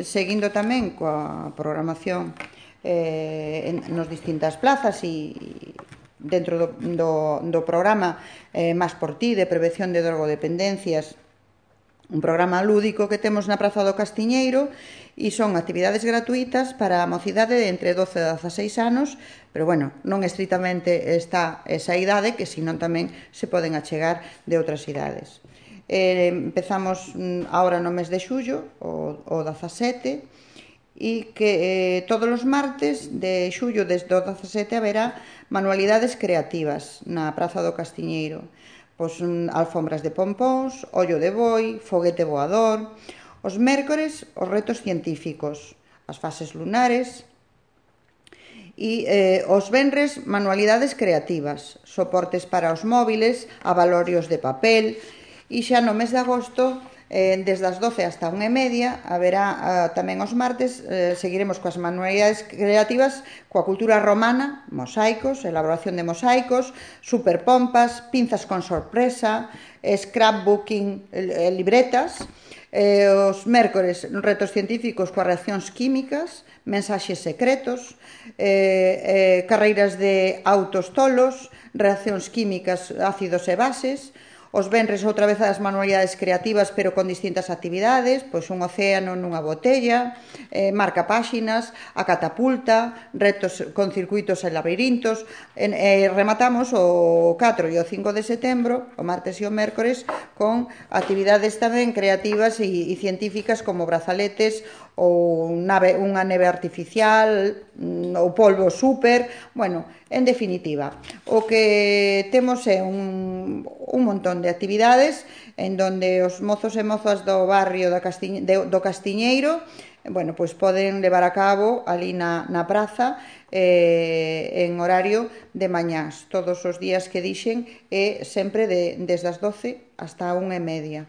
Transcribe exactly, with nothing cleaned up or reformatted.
seguindo tamén coa programación eh, en, nos distintas plazas e dentro do, do, do programa eh, Más por ti, de prevención de drogodependencias, un programa lúdico que temos na Praza do Castiñeiro, e son actividades gratuitas para a mocidade de entre doce e dezaseis anos, pero bueno, non estritamente está esa idade, que senón tamén se poden achegar de outras idades. Eh, empezamos agora no mes de xullo, o, o dezasete, e que eh, todos os martes de xullo desde o dezasete haberá manualidades creativas na Praza do Castiñeiro. Pois alfombras de pompóns, ollo de boi, foguete voador. Os mércores, os retos científicos, as fases lunares. E eh, os venres, manualidades creativas, soportes para os móviles, avalorios de papel. E xa no mes de agosto, eh, desde as doce hasta unha e media, haberá eh, tamén os martes, eh, seguiremos coas manualidades creativas, coa cultura romana, mosaicos, elaboración de mosaicos, superpompas, pinzas con sorpresa, scrapbooking, eh, libretas. Eh, os mércores, retos científicos coas reaccións químicas, mensaxes secretos, eh, eh, carreiras de autos tolos, reaccións químicas, ácidos e bases. Os venres outra vez as manualidades creativas, pero con distintas actividades, pois un océano nunha botella, eh, marca páxinas, a catapulta, retos con circuitos e labirintos. E eh, rematamos o catro e o cinco de setembro, o martes e o mércores, con actividades tamén creativas e, e científicas como brazaletes ou nave, unha neve artificial ou polvo super. Bueno, en definitiva, o que temos é un, un montón de actividades en donde os mozos e mozas do barrio do, Castiñ, de, do Castiñeiro, bueno, pois poden levar a cabo ali na, na praza eh, en horario de mañás, todos os días que dixen, e sempre de, desde as doce hasta a unha e media.